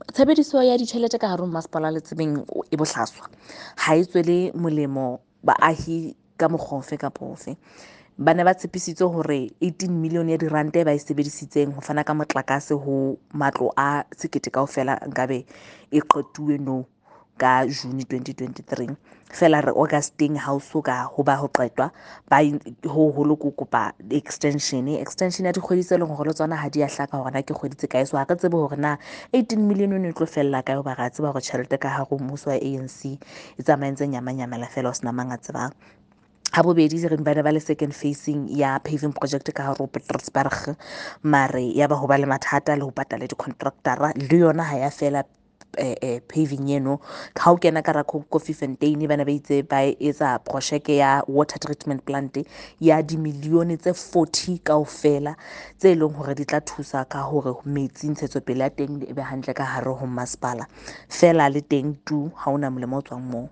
Tshebediso ya ditjhelete ka hare ho masepala le tsebeng e bohlaswa, ha e tswele molemo baahi ka mokgwa ofe kapa ofe. Ba ne ba tshepisitse hore 18 million ya diranta e ba e sebedisitseng ho fana ka motlakase ho matlo a 1000 kaofela nkabe e qetuwe nou ka June 2023. Feela re August-eng ha o so ka ho ba ho qetwa. Ba ho holo ko kopa extension, extension ya dikgwedi tse leng hore le tsona ha di a hlaka hore na ke kgwedi tse kae. So ha re tsebe hore na 18 million e tlo fella kae, hoba re a tseba hore tjhelete ka hare ho mmuso wa ANC e tsamaya e ntse nyamanyamela feela ho sena mang a tsebang. Ha bobedi, re ba ne ba le second phasing ya paving project ka hare ho Petrusburg, mare ya ba ho ba le mathata le ho patala di-contractor-a, le yona ha ya fela paving eno. Ha o kena ka Koffiefontein, ba ne ba itse ba etsa projeke ya water treatment plant ya dimilione tse 40 kaofela, tse leng hore di tla thusa ka hore metsi ntshetsopele ya teng e be hantle ka hare ho masepala. Feela le teng tu, ha hona molemo o tswang moo.